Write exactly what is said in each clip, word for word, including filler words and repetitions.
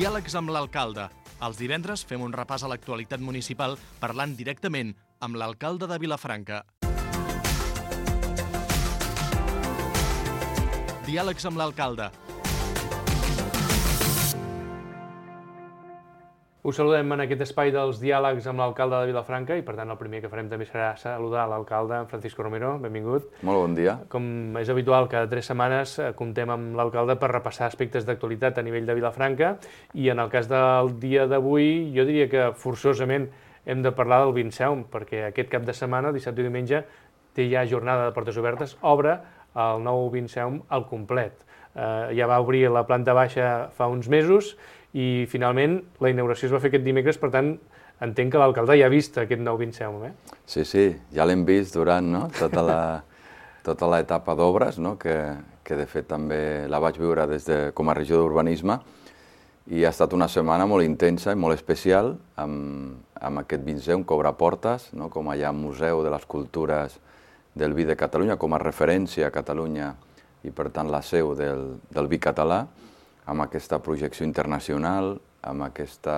Diàlegs amb l'alcalde. Els divendres fem un repàs a l'actualitat municipal parlant directament amb l'alcalde de Vilafranca. Diàlegs amb l'alcalde. Us saludem en aquest espai dels diàlegs amb l'alcalde de Vilafranca i, per tant, el primer que farem també serà saludar l'alcalde Francisco Romero. Benvingut. Molt bon dia. Com és habitual, cada tres setmanes comptem amb l'alcalde per repassar aspectes d'actualitat a nivell de Vilafranca i en el cas del dia d'avui jo diria que forçosament hem de parlar del Vinceum, perquè aquest cap de setmana, dissabte i diumenge, té ja jornada de portes obertes, obre el nou Vinceum al complet. Eh, ja va obrir la planta baixa fa uns mesos i finalment la inauguració es va fer aquest dimecres, per tant entenc que l'alcalde ja ha vist aquest nou Vinceum, eh? Sí, sí, ja l'hem vist durant no? tota la tota l'etapa d'obres, no? que, que de fet també la vaig viure des de, com a regió d'urbanisme, i ha estat una setmana molt intensa i molt especial amb, amb aquest Vinceum que obre portes, no? com allà Museu de les Cultures del Vi de Catalunya, com a referència a Catalunya i per tant la seu del, del vi català, amb aquesta projecció internacional, amb aquesta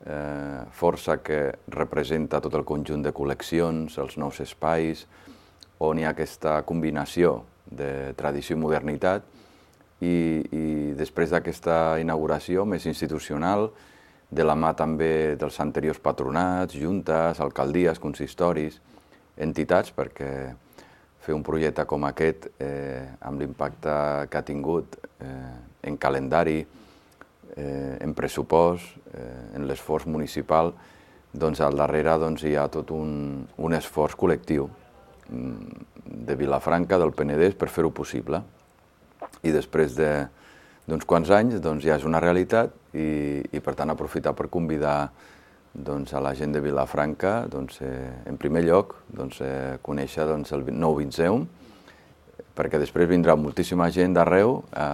eh, força que representa tot el conjunt de col·leccions, els nous espais, on hi ha aquesta combinació de tradició i modernitat, i, i després d'aquesta inauguració més institucional, de la mà també dels anteriors patronats, juntes, alcaldies, consistoris, entitats, perquè fer un projecte com aquest, eh, amb l'impacte que ha tingut eh, en calendari, eh, en pressupost, eh, en l'esforç municipal, doncs al darrere doncs, hi ha tot un, un esforç col·lectiu de Vilafranca, del Penedès, per fer-ho possible. I després d'uns quants anys doncs, ja és una realitat i, i per tant aprofitar per convidar doncs, a la gent de Vilafranca, doncs, eh, en primer lloc, doncs, eh, conèixer doncs, el nou Vinceum, perquè després vindrà moltíssima gent d'arreu a,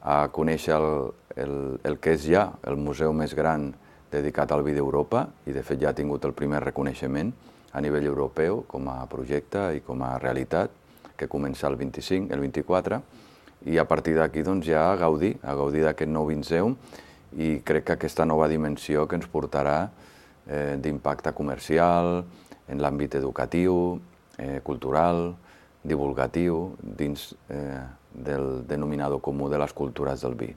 a conèixer el, el, el que és ja el museu més gran dedicat al vi d'Europa, i de fet ja ha tingut el primer reconeixement a nivell europeu com a projecte i com a realitat, que comença el vint-i-cinc, el vint-i-quatre, i a partir d'aquí doncs, ja a gaudir, a gaudir d'aquest nou Vinceum, i crec que aquesta nova dimensió que ens portarà eh, d'impacte comercial, en l'àmbit educatiu, eh, cultural, divulgatiu, dins eh, del denominador comú de les cultures del vi.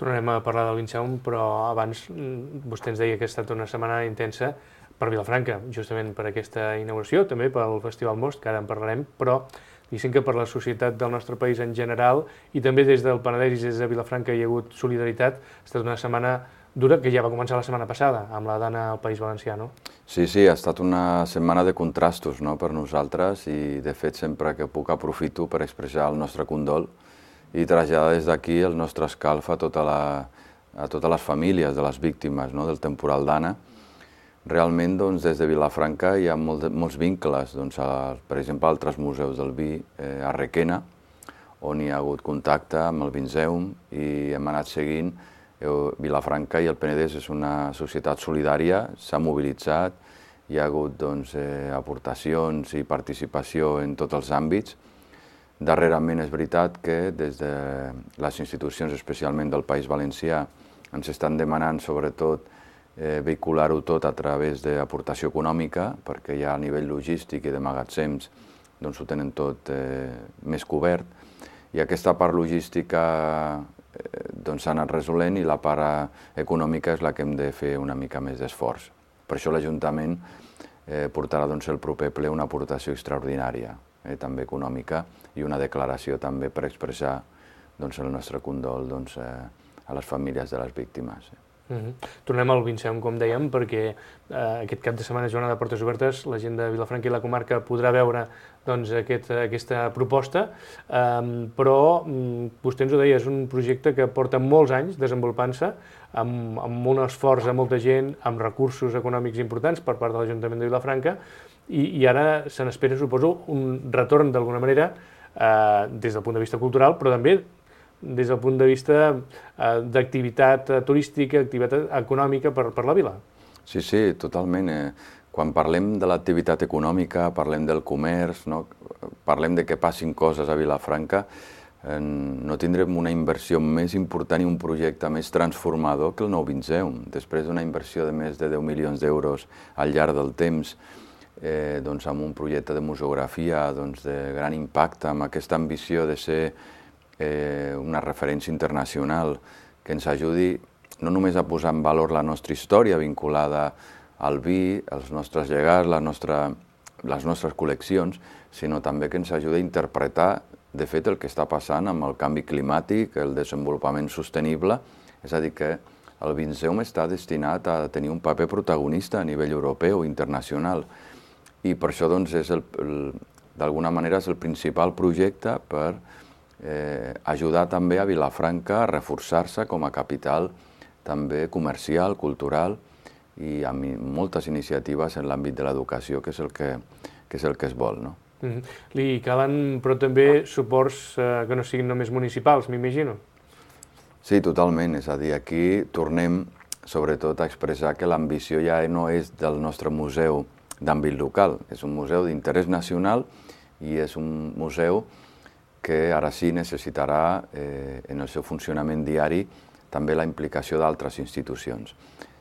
Tornarem a parlar del Vinceum, però abans vostè ens deia que ha estat una setmana intensa per Vilafranca, justament per aquesta inauguració, també pel Festival Most, que ara en parlarem, però diguéssim que per la societat del nostre país en general i també des del Penedès i des de Vilafranca hi ha hagut solidaritat. Ha estat una setmana dura que ja va començar la setmana passada amb la Dana al País Valencià, no? Sí, sí, ha estat una setmana de contrastos, no?, per nosaltres, i de fet sempre que puc aprofito per expressar el nostre condol i traslladar des d'aquí el nostre escalf a, tota la, a totes les famílies de les víctimes, no?, del temporal Dana. Realment, doncs, des de Vilafranca hi ha molt, molts vincles, doncs, a, per exemple, a altres museus del vi, eh, a Requena, on hi ha hagut contacte amb el Vinceum i hem anat seguint. Eh, Vilafranca i el Penedès és una societat solidària, s'ha mobilitzat, hi ha hagut doncs, eh, aportacions i participació en tots els àmbits. Darrerament és veritat que des de les institucions, especialment del País Valencià, ens estan demanant sobretot Eh, vehicular-ho tot a través d'aportació econòmica, perquè ja a nivell logístic i de magatzems doncs ho tenen tot eh, més cobert, i aquesta part logística eh, doncs s'ha anat resolent i la part econòmica és la que hem de fer una mica més d'esforç. Per això l'Ajuntament eh, portarà doncs, el proper ple una aportació extraordinària, eh, també econòmica, i una declaració també per expressar doncs, el nostre condol doncs, eh, a les famílies de les víctimes. Uh-huh. Tornem al Vinceum, com dèiem, perquè eh, aquest cap de setmana és jornada de portes obertes, la gent de Vilafranca i la comarca podrà veure doncs, aquest, aquesta proposta, eh, però vostè ens ho deia, és un projecte que porta molts anys desenvolupant-se, amb, amb un esforç a molta gent, amb recursos econòmics importants per part de l'Ajuntament de Vilafranca, i, i ara se n'espera, suposo, un retorn d'alguna manera eh, des del punt de vista cultural, però també des del punt de vista eh, d'activitat turística, activitat econòmica per, per la vila. Sí, sí, totalment. Eh, quan parlem de l'activitat econòmica, parlem del comerç, no? Parlem de que passin coses a Vilafranca, no tindrem una inversió més important i un projecte més transformador que el nou Vinceum. Després d'una inversió de més de deu milions d'euros al llarg del temps, eh, doncs amb un projecte de museografia doncs, de gran impacte, amb aquesta ambició de ser eh, una referència internacional que ens ajudi no només a posar en valor la nostra història vinculada al vi, els nostres llegats, la nostra, les nostres col·leccions, sinó també que ens ajudi a interpretar de fet el que està passant amb el canvi climàtic, el desenvolupament sostenible, és a dir, que el Vinceum està destinat a tenir un paper protagonista a nivell europeu, internacional, i per això doncs, és el, el, d'alguna manera és el principal projecte per eh, ajudar també a Vilafranca a reforçar-se com a capital també comercial, cultural, i amb moltes iniciatives en l'àmbit de l'educació, que és el que, que és el que es vol, no? Mm-hmm. Li calen, però també suports eh, que no siguin només municipals, m'imagino. Sí, totalment. És a dir, aquí tornem sobretot a expressar que l'ambició ja no és del nostre museu d'àmbit local, és un museu d'interès nacional i és un museu que ara sí necessitarà eh, en el seu funcionament diari també la implicació d'altres institucions.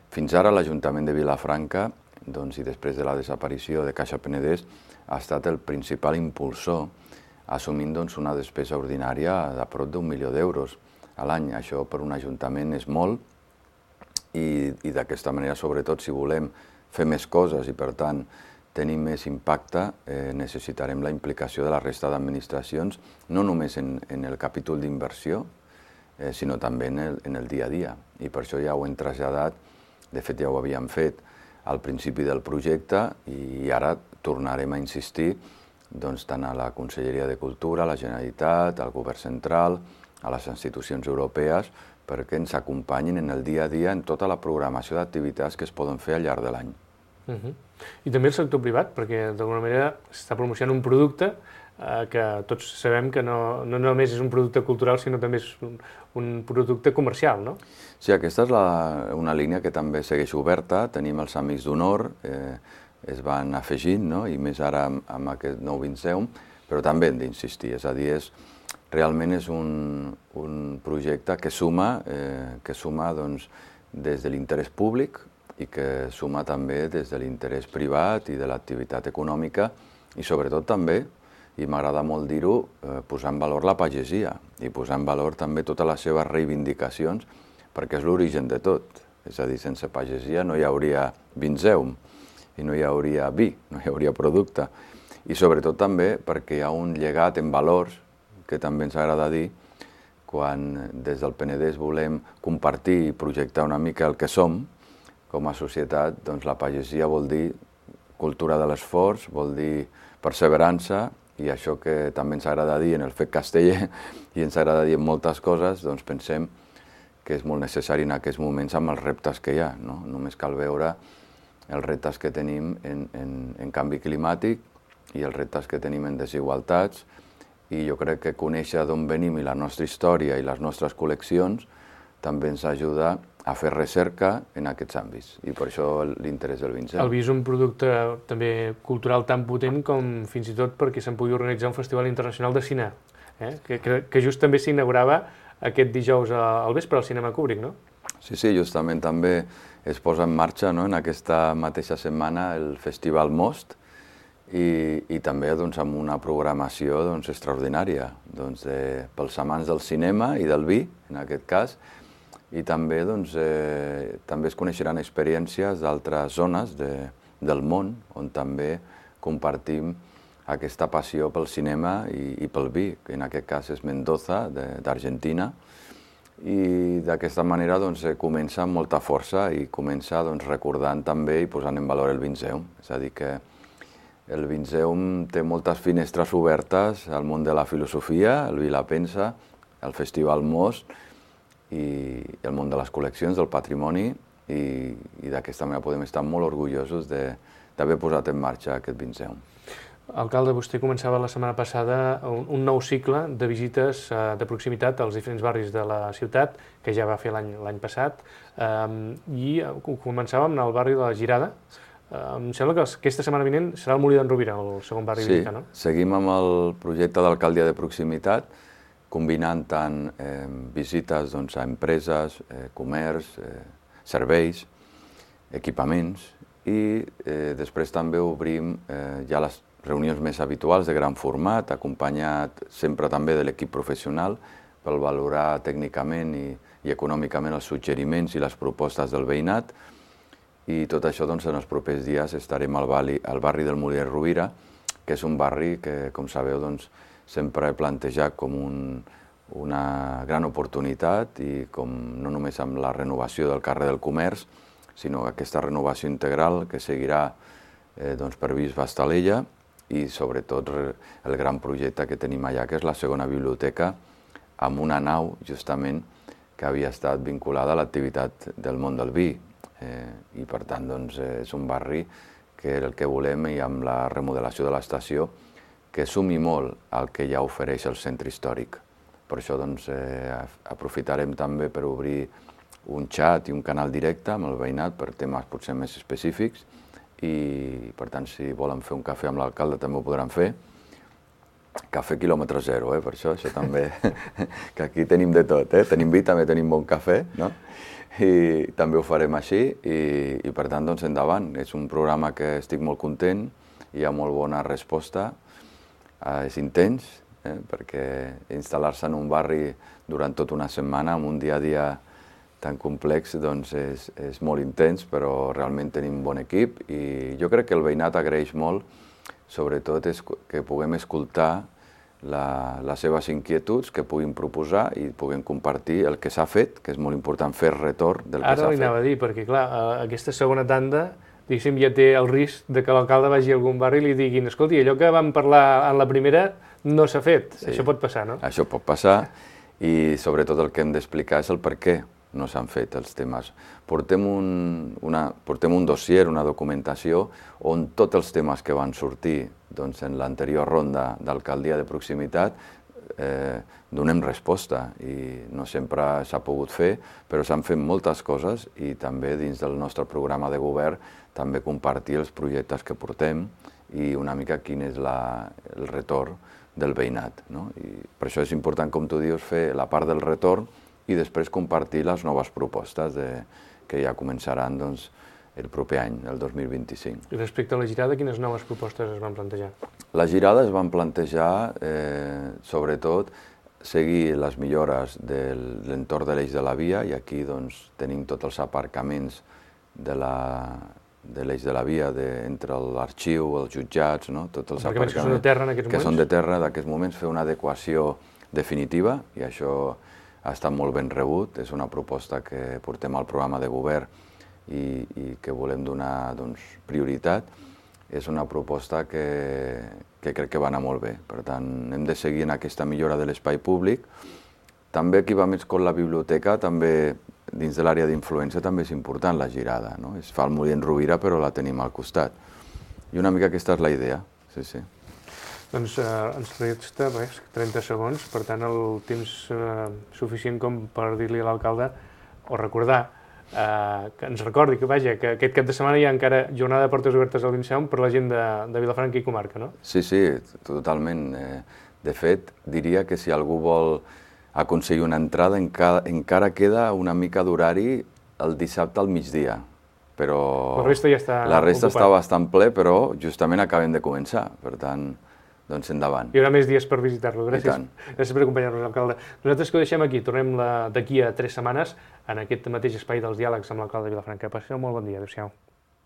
Fins ara l'Ajuntament de Vilafranca, doncs, i després de la desaparició de Caixa Penedès, ha estat el principal impulsor, assumint doncs, una despesa ordinària de prop d'un milió d'euros a l'any. Això per un ajuntament és molt i, i d'aquesta manera, sobretot, si volem fer més coses i, per tant, tenir més impacte, eh, necessitarem la implicació de la resta d'administracions, no només en, en el capítol d'inversió, eh, sinó també en el, en el dia a dia. I per això ja ho hem traslladat, de fet ja ho havíem fet al principi del projecte i ara tornarem a insistir doncs, tant a la Conselleria de Cultura, a la Generalitat, al Govern Central, a les institucions europees, perquè ens acompanyin en el dia a dia en tota la programació d'activitats que es poden fer al llarg de l'any. Uh-huh. I també el sector privat, perquè d'alguna manera s'està promocionant un producte eh, que tots sabem que no, no només és un producte cultural, sinó també és un, un producte comercial, no? Sí, aquesta és la, una línia que també segueix oberta. Tenim els Amics d'Honor, eh, es van afegint, no? I més ara amb, amb aquest nou Vinceum, però també hem d'insistir, és a dir, és, realment és un, un projecte que suma, eh, que suma doncs, des de l'interès públic i que suma també des de l'interès privat i de l'activitat econòmica i sobretot també, i m'agrada molt dir-ho, eh, posar en valor la pagesia i posar en valor també totes les seves reivindicacions perquè és l'origen de tot. És a dir, sense pagesia no hi hauria Vinceum i no hi hauria vi, no hi hauria producte. I sobretot també perquè hi ha un llegat en valors que també ens agrada dir quan des del Penedès volem compartir i projectar una mica el que som com a societat, doncs la pagesia vol dir cultura de l'esforç, vol dir perseverança i això que també ens agrada dir en el fet casteller i ens agrada dir en moltes coses, doncs pensem que és molt necessari en aquests moments amb els reptes que hi ha, no? Només cal veure els reptes que tenim en, en, en canvi climàtic i els reptes que tenim en desigualtats, i jo crec que conèixer d'on venim i la nostra història i les nostres col·leccions també ens ajuda a fer recerca en aquests àmbits, i per això l'interès del Vinceum. El vi és un producte també cultural tan potent com fins i tot perquè se'n pugui organitzar un festival internacional de cine, eh? que, que, que just també s'inaugurava aquest dijous al vespre al Cinema Kubrick, no? Sí, sí, justament també es posa en marxa, no, en aquesta mateixa setmana el Festival Most, i, i també doncs, amb una programació doncs, extraordinària doncs, de, pels amants del cinema i del vi, en aquest cas, i també, doncs, eh, també es coneixeran experiències d'altres zones de, del món on també compartim aquesta passió pel cinema i, i pel vi, que en aquest cas és Mendoza, d'Argentina, i d'aquesta manera doncs, comença amb molta força i comença doncs, recordant també i posant en valor el Vinceum. És a dir, que el Vinceum té moltes finestres obertes al món de la filosofia, el vi la pensa, el Festival Most i el món de les col·leccions, del patrimoni, i, i d'aquesta manera podem estar molt orgullosos d'haver posat en marxa aquest Vinceum. Alcalde, vostè començava la setmana passada un, un nou cicle de visites eh, de proximitat als diferents barris de la ciutat, que ja va fer l'any passat, eh, i començàvem en el barri de la Girada. Eh, em sembla que aquesta setmana vinent serà el Molí d'en Rovira, el segon barri sí, visitat, no? Sí, seguim amb el projecte d'alcaldia de proximitat, combinant tant eh, visites doncs, a empreses, eh, comerç, eh, serveis, equipaments, i eh, després també obrim eh, ja les reunions més habituals de gran format, acompanyat sempre també de l'equip professional per valorar tècnicament i, i econòmicament els suggeriments i les propostes del veïnat. I tot això doncs, en els propers dies estarem al barri, al barri del Molí de Rovira, que és un barri que, com sabeu, doncs, sempre he plantejat com un, una gran oportunitat i com no només amb la renovació del carrer del Comerç, sinó aquesta renovació integral que seguirà eh, doncs, per Bisbe Estalella i sobretot el gran projecte que tenim allà, que és la segona biblioteca, amb una nau justament que havia estat vinculada a l'activitat del món del vi. Eh, I per tant doncs, és un barri que el que volem, i amb la remodelació de l'estació, que sumi molt al que ja ofereix el centre històric. Per això doncs, eh, aprofitarem també per obrir un xat i un canal directe amb el veïnat per temes potser més específics i, per tant, si volen fer un cafè amb l'alcalde també ho podran fer. Cafè quilòmetre zero, eh, per això, això també, que aquí tenim de tot, eh? Tenim vi, també tenim bon cafè, no? I també ho farem així i, i per tant, doncs, endavant. És un programa que estic molt content, hi ha molt bona resposta, eh, és intens, eh, perquè instal·lar-se en un barri durant tota una setmana, amb un dia a dia tan complex, doncs és, és molt intens, però realment tenim un bon equip i jo crec que el veïnat agraeix molt, sobretot és que puguem escoltar la, les seves inquietuds, que puguin proposar i puguem compartir el que s'ha fet, que és molt important fer retorn del que s'ha fet. Ara li anava a dir, perquè clar, aquesta segona tanda, diguéssim, ja té el risc de que l'alcalde vagi a algun barri i li diguin escolti, allò que vam parlar en la primera no s'ha fet. Sí. Això pot passar, no? Això pot passar i sobretot el que hem d'explicar és el per què no s'han fet els temes. Portem un, una, portem un dossier, una documentació, on tots els temes que van sortir doncs, en l'anterior ronda d'alcaldia de proximitat eh, donem resposta i no sempre s'ha pogut fer, però s'han fet moltes coses i també dins del nostre programa de govern també compartir els projectes que portem i una mica quin és la, el retorn del veïnat. No? I per això és important, com tu dius, fer la part del retorn i després compartir les noves propostes de, que ja començaran doncs, el proper any, el dos mil vint-i-cinc. I respecte a la girada, quines noves propostes es van plantejar? La girada es van plantejar, eh, sobretot, seguir les millores de l'entorn de l'eix de la via, i aquí doncs, tenim tots els aparcaments de la, de l'eix de la via de, entre l'arxiu, els jutjats, no? Tots els aparcaments que són de terra en aquests moments. Que són de terra, d'aquests moments, fer una adequació definitiva, i això ha estat molt ben rebut. És una proposta que portem al programa de govern i, i que volem donar doncs, prioritat. És una proposta que, que crec que va anar molt bé. Per tant, hem de seguir en aquesta millora de l'espai públic. També equipaments com la biblioteca, també dins de l'àrea d'influència també és important la girada, no? Es fa al Molí de Rovira, però la tenim al costat. I una mica aquesta és la idea, sí, sí. Doncs eh, ens resta res, trenta segons, per tant el temps eh, suficient com per dir-li a l'alcalde o recordar eh, que ens recordi que, vaja, que aquest cap de setmana hi ha encara jornada de portes obertes al Vinceum per la gent de, de Vilafranca i comarca, no? Sí, sí, totalment. Eh, de fet, diria que si algú vol aconseguir una entrada encara, encara queda una mica d'horari el dissabte al migdia. Però la resta ja està La resta ocupat. està bastant ple, però justament acabem de començar, per tant, doncs endavant. Hi haurà més dies per visitar-lo. Gràcies. I Gràcies per acompanyar-nos, alcalde. Nosaltres que ho deixem aquí, tornem d'aquí a tres setmanes en aquest mateix espai dels diàlegs amb l'alcalde de Vilafranca. Passeu molt bon dia. Adéu-siau.